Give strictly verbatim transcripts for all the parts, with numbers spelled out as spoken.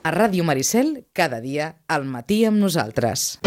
A Ràdio Maricel, cada dia, al matí amb nosaltres.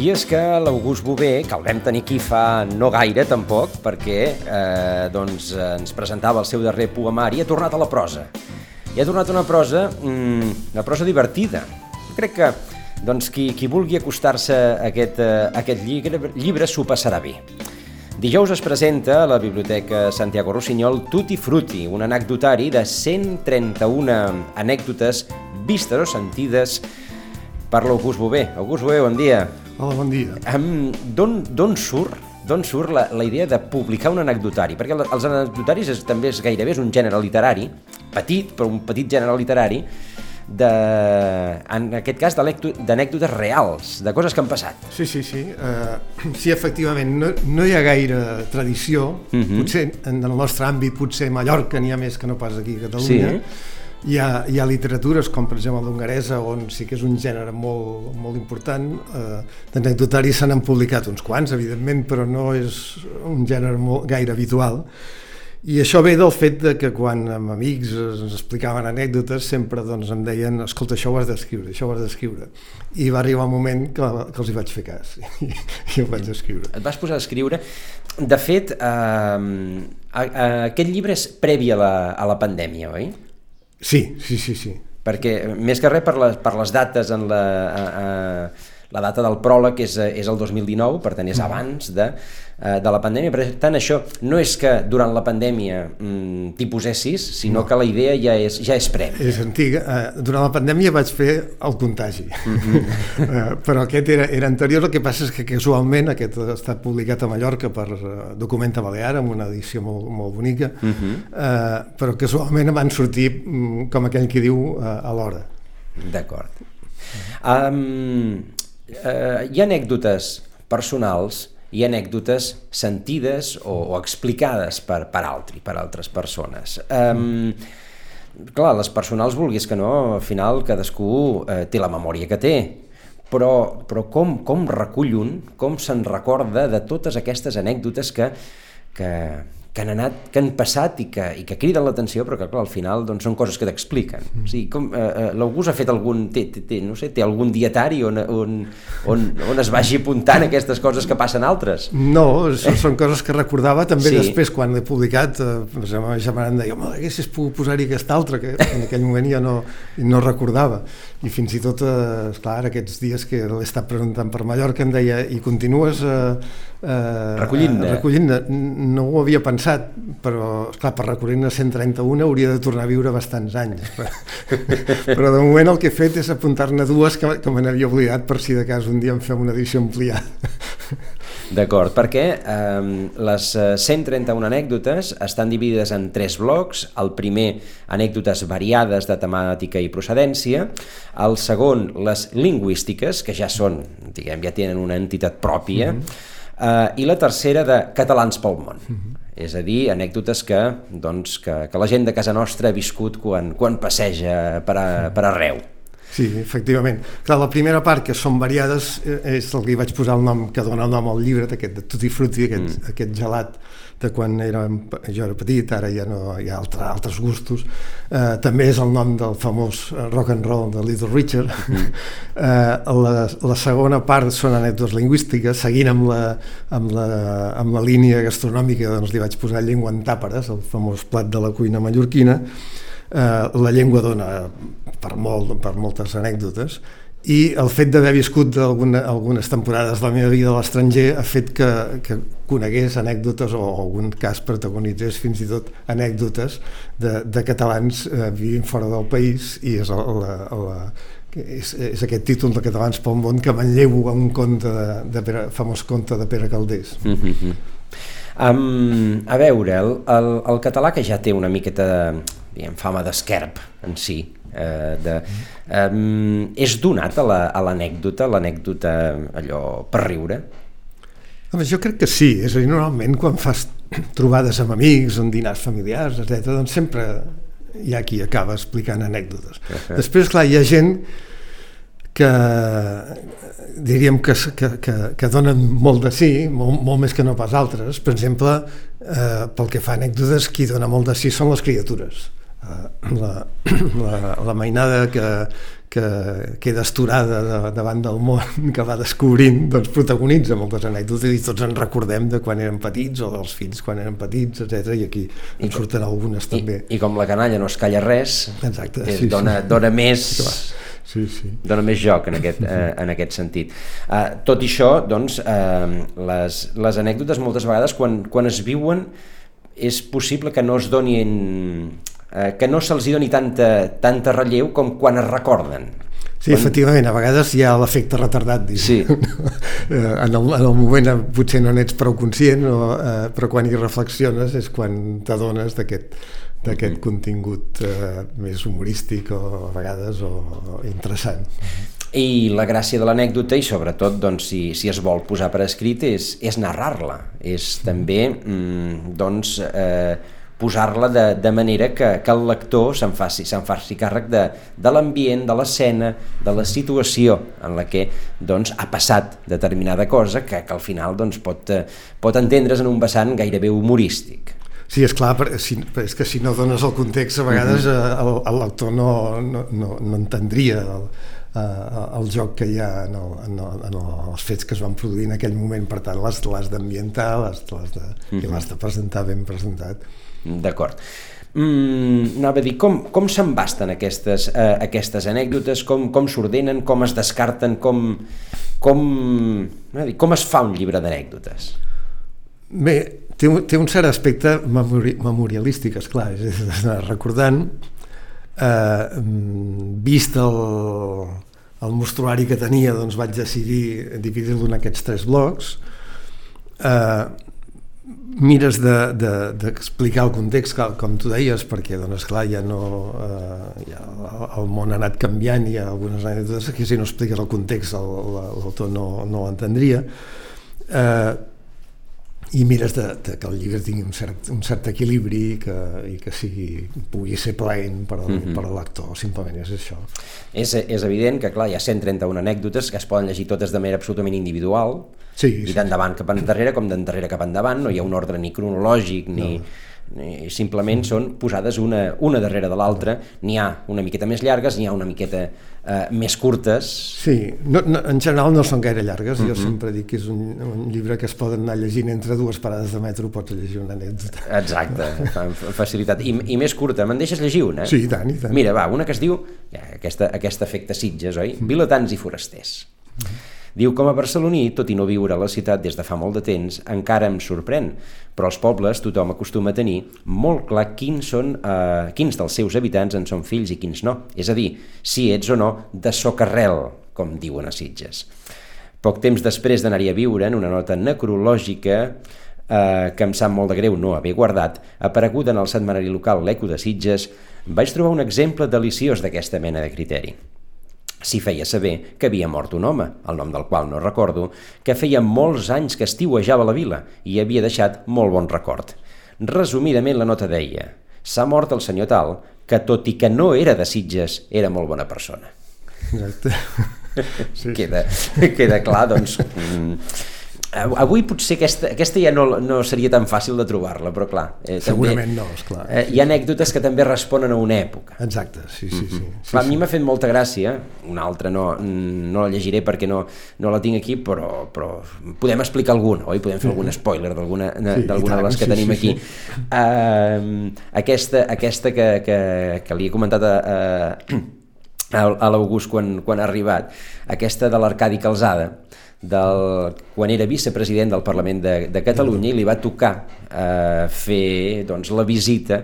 I és que l'August Bové, que el vam tenir aquí fa no gaire tampoc, perquè eh, doncs, ens presentava el seu darrer poemari, ha tornat a la prosa. I ha tornat a una prosa, mm, una prosa divertida. Jo crec que doncs, qui, qui vulgui acostar-se a aquest, a aquest llibre, llibre s'ho passarà bé. Dijous es presenta a la Biblioteca Santiago Rossinyol Tutti Frutti, un anecdotari de cent trenta-una anècdotes vistes o sentides per l'August Bové. August Bové, bon dia. Hola, bon dia. Um, D'on surt, d'on surt la, la idea de publicar un anecdotari? Perquè els anecdotaris és, també és gairebé és un gènere literari, petit, però un petit gènere literari, de, en aquest cas d'anècdotes reals, de coses que han passat. Sí, sí, sí. Uh, sí, efectivament, no, no hi ha gaire tradició. Uh-huh. Potser en el nostre àmbit, potser a Mallorca n'hi ha més que no pas aquí a Catalunya. Sí. Hi ha, hi ha literatures, com per exemple l'hongaresa, on sí que és un gènere molt, molt important. Eh, d'anecdotaris se n'han publicat uns quants, evidentment, però no és un gènere molt, gaire habitual. I això ve del fet de que quan amb amics ens explicaven anècdotes sempre doncs, em deien, escolta, això ho has d'escriure, això ho has d'escriure. I va arribar un moment que, que els hi vaig fer cas i, i ho vaig escriure. Et vas posar a escriure. De fet, eh, aquest llibre és previ a la, a la pandèmia, oi? Sí, sí, sí, sí. Perquè, més que res, per les, per les dates, en la, a, a, la data del pròleg és, és el dos mil dinou, per tant és abans de, de la pandèmia. Per tant, això no és que durant la pandèmia mm, t'hi posessis, sinó no. que la idea ja és, ja és prèvia. És antiga. Uh, durant la pandèmia vaig fer el contagi, mm-hmm. uh, però aquest era, era anterior. El que passa és que casualment aquest ha estat publicat a Mallorca per uh, Documenta Balear, amb una edició molt, molt bonica, mm-hmm. uh, però casualment van sortir, um, com aquell que diu, uh, a l'hora. D'acord. Um, uh, hi ha anècdotes personals, hi ha anècdotes sentides o, o explicades per, per altri, per altres persones. Um, clar, les personals, vulguis que no, al final cadascú eh, té la memòria que té, però, però com, com recull un, com se'n recorda de totes aquestes anècdotes que, que, que han anat, que han passat i que, i que criden l'atenció, però que clar, al final doncs, són coses que t'expliquen. O sigui, com, eh, l'August ha fet algun, té, té, té, no sé, té algun dietari on, on, on, on es vagi apuntant aquestes coses que passen altres? No, són, són coses que recordava també sí. Després, quan l'he publicat, eh, la meva germana em deia, home, haguessis pogut posar-hi aquesta altra, que en aquell moment ja no, no recordava. I fins i tot, eh, esclar, aquests dies que l'he estat preguntant per Mallorca, em deia, i continues eh, eh, recollint-ne? Recollint-ne. No ho havia pensat, però, esclar, per recollir-ne cent trenta-una hauria de tornar a viure bastants anys. Però de moment el que he fet és apuntar-ne dues que, que me n'havia oblidat per si de cas un dia em fem una edició ampliada. D'acord, perquè eh, les cent trenta-una anècdotes estan dividides en tres blocs. El primer, anècdotes variades de temàtica i procedència. El segon, les lingüístiques, que ja són, diguem, ja tenen una entitat pròpia. Mm-hmm. eh, I la tercera, de catalans pel món. Mm-hmm. És a dir, anècdotes que, doncs, que, que la gent de casa nostra ha viscut quan, quan passeja per, a, per arreu. Sí, efectivament. Clar, la primera part, que són variades, és el que hi vaig posar el nom, que dona el nom al llibre, aquest de Tutti Frutti, aquest, mm. aquest gelat de quan era, jo era petit, ara ja no hi ha altre, altres gustos. Eh, també és el nom del famós rock and roll de Little Richard. Mm. Eh, la, la segona part són anècdotes lingüístiques, seguint amb la, amb la, amb la línia gastronòmica, doncs li vaig posar llengua en tàperes, el famós plat de la cuina mallorquina. Uh, la llengua dona per, molt, per moltes anècdotes i el fet d'haver viscut alguna, algunes temporades de la meva vida a l'estranger ha fet que, que conegués anècdotes o en algun cas protagonitzés fins i tot anècdotes de, de catalans uh, vivint fora del país i és, la, la, és, és aquest títol de Catalans pel món que manllevo a un conte de, de Pere, famós conte de Pere Calders. Mm-hmm. um, a veure, el, el, el català que ja té una miqueta de diguem, fama d'esquerp en si, eh, de, um, és donat a l'anècdota, la, l'anècdota allò per riure? Home, jo crec que sí, és a dir, normalment quan fas trobades amb amics, en dinars familiars, etcètera, doncs sempre hi ha qui acaba explicant anècdotes. Uh-huh. Després, clar, hi ha gent que diríem que, que, que, que donen molt de sí, molt, molt més que no pas altres. Per exemple, eh, pel que fa a anècdotes, qui dona molt de sí són les criatures. Uh, la, la, la mainada que, que queda esturada de, davant del món que va descobrint, doncs protagonitza moltes anècdotes i tots ens recordem de quan érem petits o dels fills quan eren petits, etcètera, i aquí en surten algunes i, també. I com la canalla no es calla res, exacte, és, sí, dona, sí. dona més sí, sí. dona més joc en aquest, eh, en aquest sentit. Uh, tot i això, doncs, eh, les, les anècdotes moltes vegades quan, quan es viuen és possible que no es donin eh, que no se'ls doni tanta, tanta relleu com quan es recorden. Sí, quan... efectivament, a vegades hi ha l'efecte retardat, sí. en, el, en el moment potser no n'ets prou conscient, o, eh, però quan hi reflexiones és quan t'adones d'aquest d'aquest mm-hmm. contingut eh, més humorístic o a vegades o, o interessant. I la gràcia de l'anècdota, i sobretot doncs, si, si es vol posar per escrit, és, és narrar-la, és també mm, doncs, eh, posar-la de, de manera que, que el lector se'n faci, se'n faci càrrec de, de l'ambient, de l'escena, de la situació en la que doncs, ha passat determinada cosa que, que al final doncs, pot, pot entendre's en un vessant gairebé humorístic. Sí, és clar, si, és que si no dones el context a vegades uh-huh. el, el lector no, no, no, no entendria el, uh, el joc que hi ha en, el, en, el, en els fets que es van produir en aquell moment, per tant l'has, l'has d'ambientar l'has, l'has de, uh-huh. i l'has de presentar ben presentat. D'acord. Mm, anava a dir, com, com s'embasten aquestes, eh, aquestes anècdotes, com, com s'ordenen, com es descarten, com, com, dir, com es fa un llibre d'anècdotes? Bé, té un, té un cert aspecte memori, memorialístic, esclar, és, és recordant, eh, vist el, el mostruari que tenia, doncs vaig decidir dividir-lo en aquests tres blocs. Eh, mires d'explicar de, de, el context, com tu deies, perquè, doncs, clar, ja no... Eh, ja el món ha anat canviant, hi ha algunes anècdotes que si no expliques el context l'autor no, no l'entendria. Eh, i mires de, de que el llibre tingui un cert, un cert equilibri i que, i que sigui, pugui ser plaent per, al, mm-hmm. per a l'actor, simplement és això. És, és evident que, clar, hi ha cent trenta-una anècdotes que es poden llegir totes de manera absolutament individual, sí, i sí. d'endavant cap endarrere com d'endarrere cap endavant, no hi ha un ordre ni cronològic ni... No. Simplement són posades una, una darrere de l'altra, n'hi ha una miqueta més llargues, n'hi ha una miqueta eh, més curtes. Sí, no, no, en general no són gaire llargues, uh-huh. jo sempre dic que és un, un llibre que es poden anar llegint entre dues parades de metro, pots llegir una anècdota. Exacte, amb facilitat. I, i més curta, me'n deixes llegir una? Sí, i tant, i tant. Mira, va, una que es diu, ja, aquesta, aquest efecte Sitges, oi? Uh-huh. Vilatans i forasters. Uh-huh. Diu, com a barceloní, tot i no viure a la ciutat des de fa molt de temps, encara em sorprèn, però als pobles tothom acostuma a tenir molt clar quins, són, eh, quins dels seus habitants en són fills i quins no, és a dir, si ets o no de socarrel, com diuen a Sitges. Poc temps després d'anar-hi a viure, en una nota necrològica, eh, que em sap molt de greu no haver guardat, apareguda en el setmanari local L'Eco de Sitges, vaig trobar un exemple deliciós d'aquesta mena de criteri. S'hi feia saber que havia mort un home, el nom del qual no recordo, que feia molts anys que estiuejava la vila i havia deixat molt bon record. Resumidament la nota deia: s'ha mort el senyor tal, que tot i que no era de Sitges, era molt bona persona. Exacte. Sí. Queda, queda clar, doncs... Avui potser aquesta, aquesta ja no, no seria tan fàcil de trobar-la, però clar... Eh, Segurament també, no, esclar. Eh, hi ha anècdotes que també responen a una època. Exacte, sí, sí, sí. Mm-hmm. sí, clar, sí. a mi m'ha fet molta gràcia, una altra no, no la llegiré perquè no, no la tinc aquí, però, però podem explicar alguna, oi? Podem fer algun spoiler d'alguna sí, de les que sí, tenim sí, aquí. Sí. Uh, aquesta, aquesta que, que, que li he comentat a, a, a l'August quan, quan ha arribat, aquesta de l'Arcadi Calzada, del, quan era vicepresident del Parlament de, de Catalunya, i li va tocar eh, fer doncs, la visita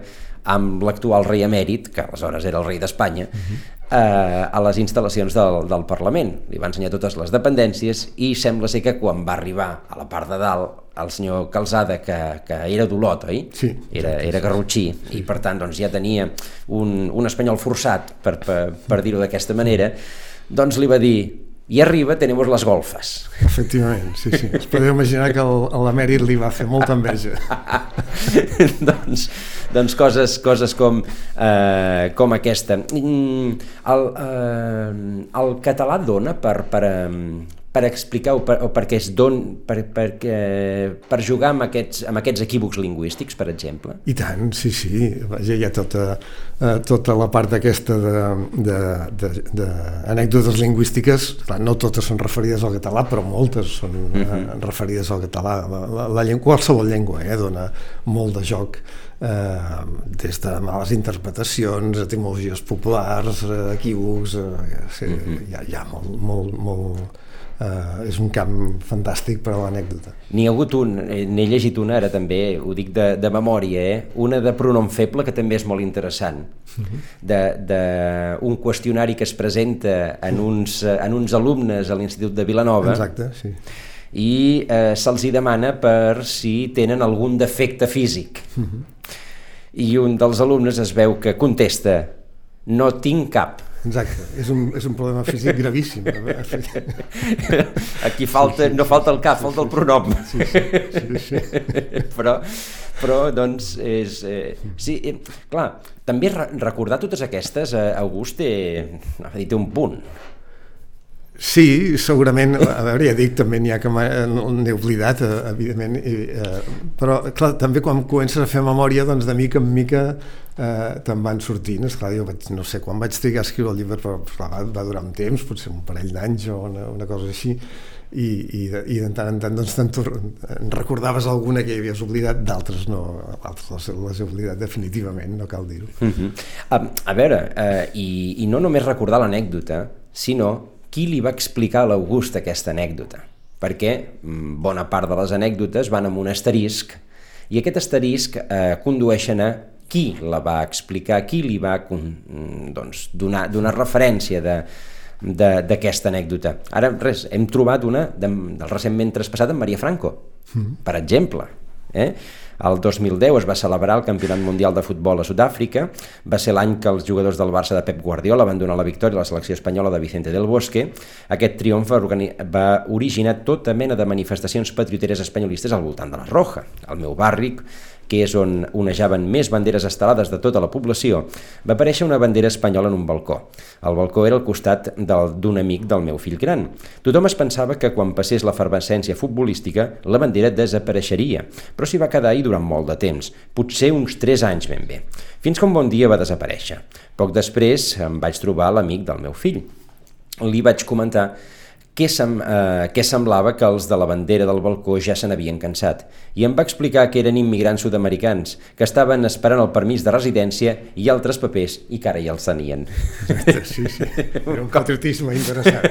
amb l'actual rei emèrit, que aleshores era el rei d'Espanya, uh-huh. eh, a les instal·lacions del, del Parlament. Li va ensenyar totes les dependències i sembla ser que quan va arribar a la part de dalt el senyor Calzada, que, que era d'Olot, oi? Sí. Era, era garrotxí, sí. I per tant doncs, ja tenia un, un espanyol forçat, per, per, per dir-ho d'aquesta manera, doncs li va dir: i arriba tenemos las golfes. Efectivament, sí, sí. Es podeu imaginar que el, l'emèrit li va fer molta enveja. doncs, doncs coses, coses com, eh, com aquesta. El, eh, el català dona per, per, per explicar o, per, o perquè es don, per, per, per jugar amb aquests, amb aquests equívocs lingüístics, per exemple? I tant, sí, sí. Vaja, hi ha tota, eh, tota la part aquesta d'anècdotes lingüístiques. Clar, no totes són referides al català, però moltes són uh-huh. eh, referides al català. La, la, la llengua, qualsevol llengua eh, dona molt de joc, eh, des de males interpretacions, etimologies populars, eh, equívocs, eh, sí, uh-huh. hi, ha, hi ha molt, molt, molt Uh, és un camp fantàstic per a l'anècdota. N'hi ha hagut un, n'he llegit una ara també, ho dic de, de memòria, eh? Una de pronom feble que també és molt interessant, uh-huh. de, de un qüestionari que es presenta en uns, en uns alumnes a l'Institut de Vilanova. Exacte, sí. I eh, se'ls hi demana per si tenen algun defecte físic. Uh-huh. I un dels alumnes es veu que contesta: no tinc cap. Exacte, és un, és un problema físic gravíssim. Aquí falta, no falta el cap, falta el pronom. Sí, sí, sí, sí. Però, però doncs, és, eh, sí, eh, clar, també recordar totes aquestes, eh, August, té, té un punt. Sí, segurament, a veure, ja dic, també n'hi ha que n'he oblidat, evidentment, i, eh, però clar, també quan comences a fer memòria, doncs de mica en mica eh, te'n van sortint. Esclar, jo vaig, no sé quan vaig trigar a escriure el llibre, però clar, va, va durar un temps, potser un parell d'anys o una, una cosa així, i, i, de, i de tant en tant doncs, en recordaves alguna que hi havies oblidat, d'altres no, altres les he oblidat definitivament, no cal dir-ho. Uh-huh. a, a veure, eh, i, i no només recordar l'anècdota, sinó qui li va explicar a l'August aquesta anècdota, perquè bona part de les anècdotes van amb un asterisc, i aquest asterisc eh, condueixen a qui la va explicar, qui li va doncs, donar, donar referència de, de, d'aquesta anècdota. Ara, res, hem trobat una de, del recentment traspassat amb Maria Franco, mm. per exemple. Eh? El dos mil deu es va celebrar el Campionat Mundial de Futbol a Sud-àfrica, va ser l'any que els jugadors del Barça de Pep Guardiola van donar la victòria a la selecció espanyola de Vicente del Bosque. Aquest triomf va, organi- va originar tota mena de manifestacions patrioteres espanyolistes al voltant de la Roja, al meu barri, que és on onejaven més banderes estelades de tota la població, va aparèixer una bandera espanyola en un balcó. El balcó era al costat del, d'un amic del meu fill gran. Tothom es pensava que quan passés l'efervescència futbolística la bandera desapareixeria, però s'hi va quedar ahí durant molt de temps, potser uns tres anys ben bé, fins que un bon dia va desaparèixer. Poc després em vaig trobar l'amic del meu fill. Li vaig comentar Què, sem, eh, què semblava que els de la bandera del balcó ja se n'havien cansat, i em va explicar que eren immigrants sud-americans, que estaven esperant el permís de residència i altres papers, i que ara ja els tenien. Sí, sí, era un patriotisme interessant.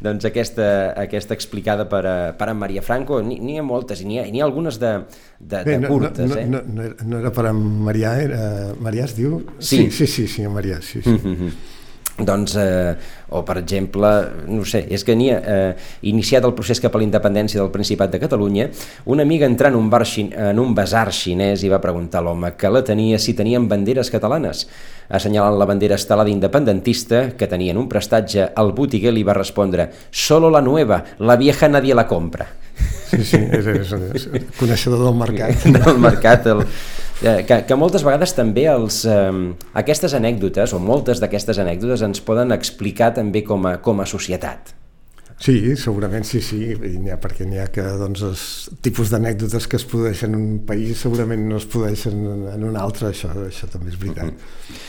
Doncs aquesta, aquesta explicada per, a, per a Maria Franco, n'hi ha moltes, i n'hi ha, n'hi ha algunes de, de, Bé, de no, curtes. No, eh? no, no, era, no era per a Marià, era... Marià es diu? Sí, sí, sí, sí, sí Marià, sí, sí. Mm-hmm. Doncs, eh, o per exemple, no sé, és que n'hi ha eh, iniciat el procés cap a la independència del Principat de Catalunya, una amiga entrant en un, bar xin, en un basar xinès i va preguntar a l'home que la tenia si tenien banderes catalanes. Assenyalant la bandera estelada independentista que tenien un prestatge, el botiguer li va respondre: «Solo la nueva, la vieja nadie la compra». Sí, sí, és, és, és coneixedor del mercat. Del mercat, el, que, que moltes vegades també els, eh, aquestes anècdotes, o moltes d'aquestes anècdotes, ens poden explicar també com a, com a societat. Sí, segurament sí, sí, i n'hi ha, perquè n'hi ha que doncs, els tipus d'anècdotes que es produeixen en un país segurament no es produeixen en un altre, això, això també és veritat. Mm-hmm.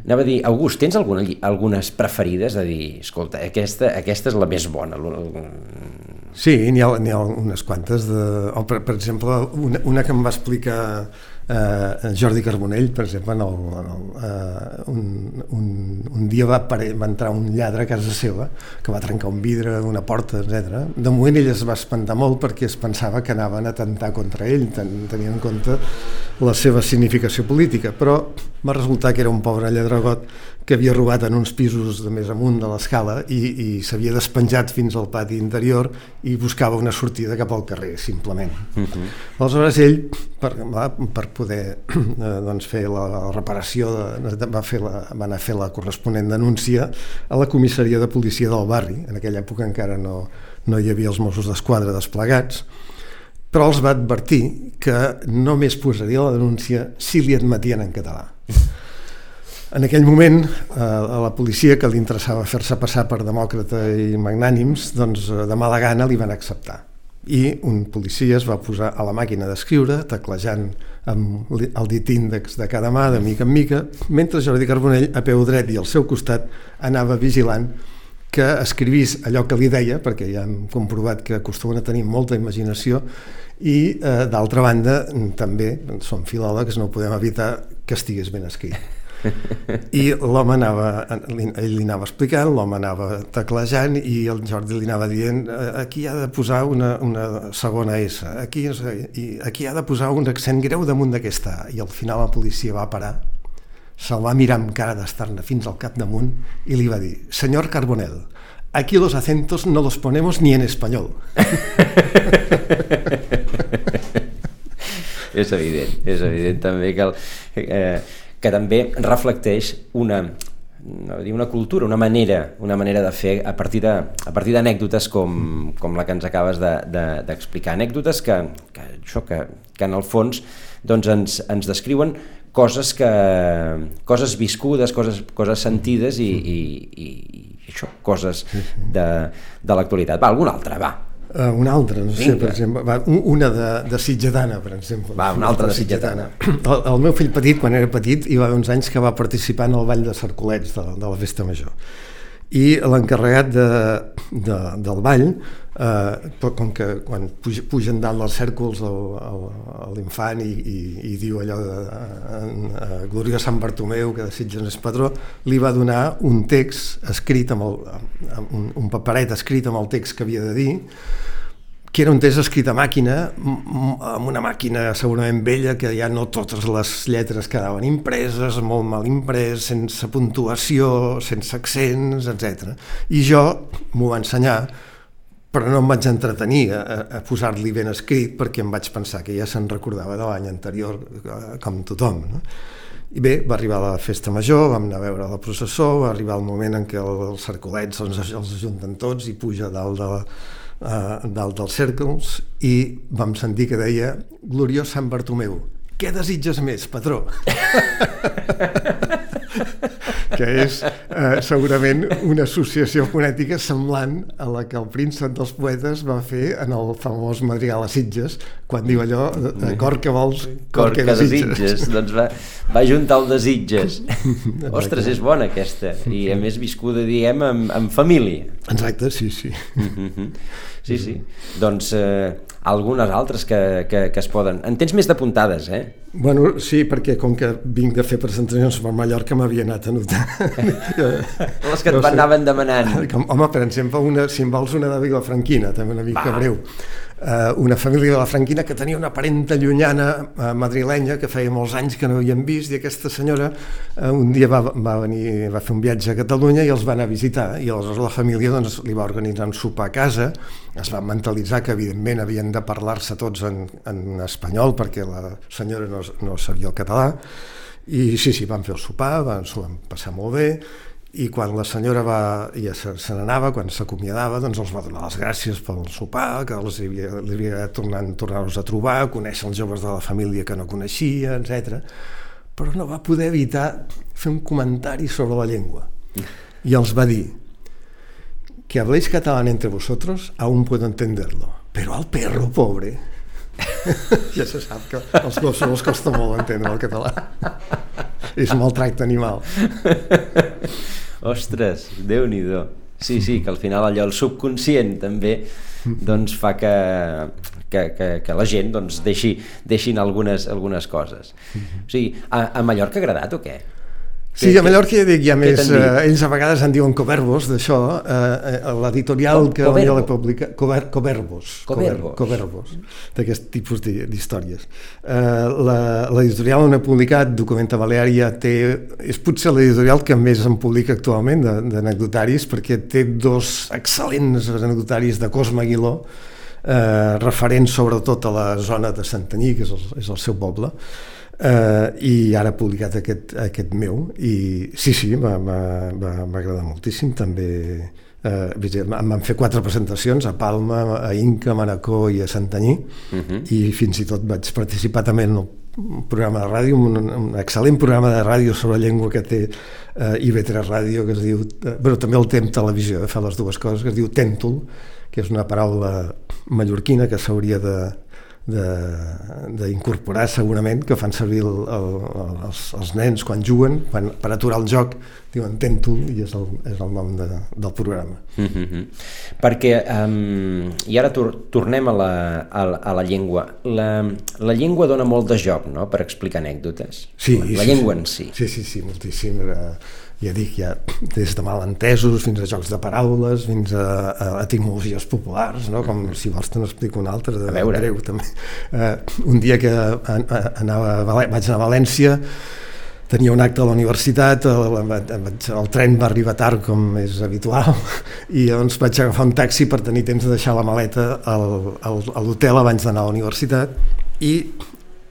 Anava a dir, August, tens alguna, algunes preferides? A dir, escolta, aquesta, aquesta és la més bona. Sí, n'hi ha, n'hi ha unes quantes. De, o per, per exemple, una, una que em va explicar eh, Jordi Carbonell, per exemple, en el, en el, eh, un, un, un dia va, va entrar un lladre a casa seva que va trencar un vidre d'una porta, etcètera. De moment ell es va espantar molt perquè es pensava que anaven a atemptar contra ell, ten, tenint en compte la seva significació política, però va resultar que era un pobre lladregot que havia robat en uns pisos de més amunt de l'escala i, i s'havia despenjat fins al pati interior i buscava una sortida cap al carrer, simplement. Uh-huh. Aleshores ell, per, va, per poder eh, doncs fer la, la reparació, de, va, fer la, va anar a fer la corresponent denúncia a la comissaria de policia del barri. En aquella època encara no, no hi havia els Mossos d'Esquadra desplegats, però els va advertir que només posaria la denúncia si li admetien en català. En aquell moment, eh, a la policia, que li interessava fer-se passar per demòcrata i magnànims, doncs de mala gana li van acceptar. I un policia es va posar a la màquina d'escriure, teclejant amb el dit índex de cada mà, de mica en mica, mentre Jordi Carbonell, a peu dret i al seu costat, anava vigilant que escrivís allò que li deia, perquè ja hem comprovat que acostumen a tenir molta imaginació, i eh, d'altra banda, també, som filòlegs, no podem evitar que estigués ben escrit. I l'home anava, ell li anava explicant, l'home anava teclejant i el Jordi li anava dient aquí ha de posar una, una segona S, aquí, i aquí ha de posar un accent greu damunt d'aquesta A, i al final la policia va parar, se'l va mirar amb cara d'estar-ne fins al capdamunt i li va dir, senyor Carbonell, aquí los acentos no los ponemos ni en español. És evident, és evident també que el... Eh, que també reflecteix una, una cultura, una manera, una manera de fer a partir de, a partir d'anècdotes com, com la que ens acabes de, de, d'explicar. Anècdotes que, que, això, que, que en el fons doncs ens, ens descriuen coses, que, coses viscudes, coses, coses sentides i, i, i, i això, coses de, de l'actualitat. Va, alguna altra, va. Uh, una altra, no sé, per exemple, va, una de, de Sitgetana, per exemple. Va, una altra de Sitgetana. El, el meu fill petit, quan era petit, hi va haver uns anys que va participar en el ball de Cercolets de, de la Festa Major. I l'encarregat de, de, del ball, eh, com que quan puja, pugen dalt dels cèrcols l'infant i, i, i diu allò de, de, de Glòria Sant Bartomeu, que de Sitges és patró, li va donar un text escrit, amb, el, amb un, un paperet escrit amb el text que havia de dir, que era un text escrit a màquina, amb una màquina segurament vella, que ja no totes les lletres quedaven impreses, molt mal imprès, sense puntuació, sense accents, etcètera. I jo m'ho va ensenyar, però no em vaig entretenir a, a posar-li ben escrit, perquè em vaig pensar que ja se'n recordava de l'any anterior, com tothom, no? I bé, va arribar la festa major, vam anar a veure la processó, va arribar el moment en què els cercolets els, els ajunten tots i puja dalt de la Uh, dalt dels cèrcols i vam sentir que deia Gloriós Sant Bartomeu, què desitges més, patró? Que és uh, segurament una associació fonètica semblant a la que el príncep dels poetes va fer en el famós madrigal a Sitges, quan diu allò, de cor que vols, cor, cor que, que desitges. desitges. Doncs va, va juntar el desitges. Ostres, és bona aquesta, i a més viscuda, diguem, en, en família. Exacte, sí, sí. Sí, sí. Doncs eh, algunes altres que, que, que es poden... En tens més d'apuntades, eh? Bueno, sí, perquè com que vinc de fer presentacions per Mallorca m'havia anat a notar. Les que et no sé. Anaven demanant. Com, home, per exemple, una, si em vols una de Vilafranquina, també una mica Va. breu. Uh, una família de Vilafranquina que tenia una parenta llunyana uh, madrilenya que feia molts anys que no havien vist, i aquesta senyora uh, un dia va, va venir, va fer un viatge a Catalunya i els va anar a visitar, i aleshores la família doncs, li va organitzar un sopar a casa, es va mentalitzar que evidentment havien de parlar-se tots en, en espanyol perquè la senyora no, no sabia el català, i sí, sí, van fer el sopar, van, s'ho van passar molt bé, i quan la senyora va, ja se, se n'anava, quan s'acomiadava, doncs els va donar les gràcies pel sopar, que els havia, li havia tornat tornar-los a trobar, conèixer els joves de la família que no coneixia, etcètera. Però no va poder evitar fer un comentari sobre la llengua. I els va dir, que habléis catalán entre vosotros, aún puedo entenderlo, pero al perro, pobre... Ja se sap que als gossos els costa molt entendre el català. És un maltracte animal. Ostres, Déu-n'hi-do. Sí, sí, que al final allò, el subconscient també doncs fa que, que, que, que la gent doncs, deixi, deixin algunes, algunes coses. O sigui, a, a Mallorca ha agradat o què? Sí, a Mallorca ja dic, hi ha més... t'han dit? Eh, ells a vegades en diuen coverbos, d'això. Eh, eh, L'editorial Co- que coverbo. la publica... Cover, coverbos. Coverbos. Coverbos, d'aquest tipus d'hi- d'històries. Eh, la- L'editorial on he publicat, Documenta Baleària, té... És potser l'editorial que més en publica actualment de- d'anecdotaris, perquè té dos excel·lents anecdotaris de Cosme Aguiló, eh, referents sobretot a la zona de Santanyí, que és el, és el seu poble, Uh, i ara ha publicat aquest, aquest meu i sí, sí, m'ha agradat moltíssim també. Uh, em van fer quatre presentacions a Palma, a Inca, a Manacor i a Santanyí, uh-huh. i fins i tot vaig participar també en un programa de ràdio, un, un excel·lent programa de ràdio sobre llengua que té uh, I V tres Ràdio, que es diu, uh, però també el té en televisió, eh, fa les dues coses, que es diu tèntol, que és una paraula mallorquina que s'hauria de d'incorporar segurament, que fan servir el, el, els, els nens quan juguen, quan, per aturar el joc, diuen tèntol, i és el, és el nom de, del programa. Mm-hmm. Perquè, um, i ara tor tornem a la, a, a la llengua. La, la llengua dona molt de joc, no?, per explicar anècdotes. Sí, la, sí, la llengua sí. en si. Sí, sí, sí, moltíssim. Era, ja dic, ja, des de malentesos fins a jocs de paraules, fins a, a etimologies populars, no? Com si vols te n'explico una altra, de greu també. Uh, un dia que anava a València, vaig anar a València, tenia un acte a la universitat, el, el, el tren va arribar tard com és habitual, i llavors vaig agafar un taxi per tenir temps de deixar la maleta al, al, a l'hotel abans d'anar a la universitat, i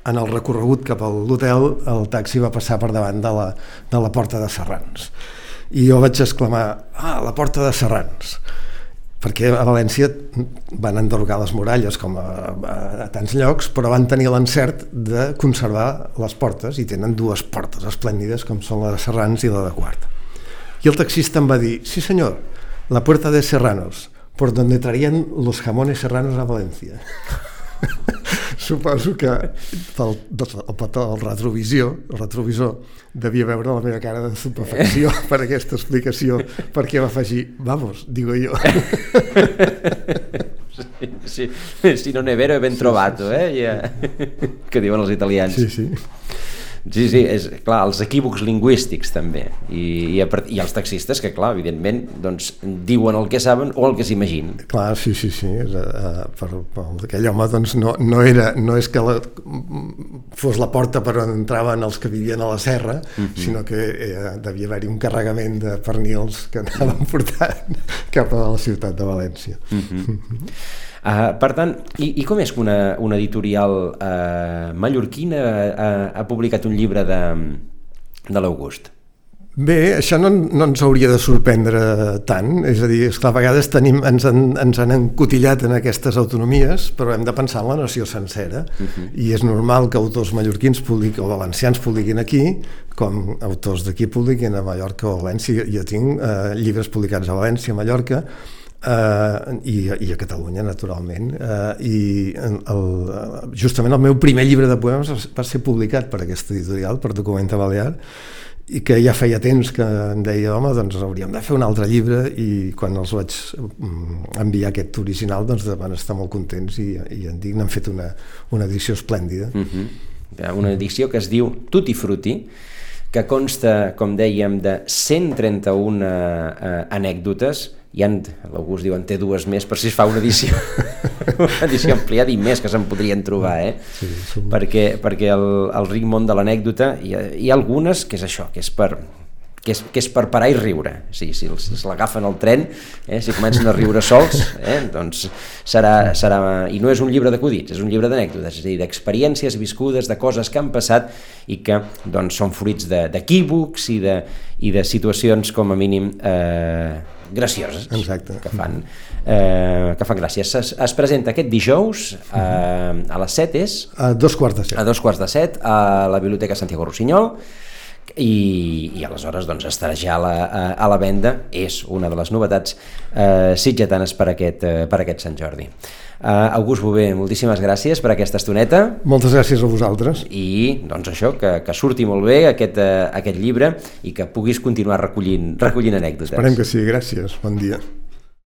en el recorregut cap a l'hotel el taxi va passar per davant de la, de la porta de Serrans. I jo vaig exclamar, ah, la porta de Serrans, perquè a València van enderrocar les muralles com a, a, a tants llocs, però van tenir l'encert de conservar les portes, i tenen dues portes esplèndides com són la de Serrans i la de Quart. I el taxista em va dir, sí senyor, la puerta de Serranos, por donde traían los jamones serranos a València. Suposo que pel, el petó, el retrovisor, el retrovisor devia veure la meva cara de estupefacció per aquesta explicació, perquè va afegir, vamos, digo yo. Sí, sí, si non è vero è ben trovato, eh? Ja. Que diuen els italians. Sí, sí. Sí, sí, és clar, els equívocs lingüístics també, i, i, i els taxistes que, clar, evidentment, doncs, diuen el que saben o el que s'imaginen. Clar, sí, sí, sí, uh, per, per aquell home, doncs, no, no, era, no és que la, fos la porta per on entraven els que vivien a la serra, mm-hmm. sinó que eh, devia haver-hi un carregament de pernils que anaven portant cap a la ciutat de València. Mm-hmm. Uh, per tant, i, i com és que una, una editorial uh, mallorquina uh, ha publicat un llibre de, de l'August? Bé, això no, no ens hauria de sorprendre tant, és a dir, és que a vegades tenim, ens, han, ens han encotillat en aquestes autonomies, però hem de pensar en la nació sencera, uh-huh. i és normal que autors mallorquins publiquin, o valencians publiquin aquí, com autors d'aquí publiquin a Mallorca o a València. Jo tinc eh, llibres publicats a València, a Mallorca, Uh, i, i a Catalunya, naturalment, uh, i el, justament el meu primer llibre de poemes va ser publicat per aquesta editorial, per Documenta Balear, i que ja feia temps que em deia, home, doncs hauríem de fer un altre llibre, i quan els vaig enviar aquest original, doncs van estar molt contents, i, i en dic, n'han fet una, una edició esplèndida. Uh-huh. Una edició que es diu Tutti Frutti, que consta, com dèiem, de cent trenta-una uh, anècdotes. Hi ha, l'August diu, en té dues més, per si es fa una edició, una edició ampliada i més que se'n podrien trobar, eh? Sí, som... perquè, perquè el, el ric món de l'anècdota, hi, ha, hi ha algunes que és això, que és per, que és, que és per parar i riure. O sigui, si els, si l'agafen al tren, eh, si comencen a riure sols, eh, doncs serà, serà... I no és un llibre d'acudits, és un llibre d'anècdotes, és a dir, d'experiències viscudes, de coses que han passat i que doncs, són fruits d'equívocs i, de, i de situacions, com a mínim, eh, gracioses. Exacte. Que fan, eh, que fan gràcies. Es, es presenta aquest dijous eh, a les set és? A dos quarts de set. A dos quarts de set a la Biblioteca Santiago Rossinyol, i, i aleshores doncs, estarà ja a la, a, a la venda. És una de les novetats eh, sitgetanes per aquest, eh, per aquest Sant Jordi. Uh, August Bové, moltíssimes gràcies per aquesta estoneta. Moltes gràcies a vosaltres. I doncs això, que, que surti molt bé aquest, uh, aquest llibre i que puguis continuar recollint, recollint anècdotes. Esperem que sí, gràcies, bon dia.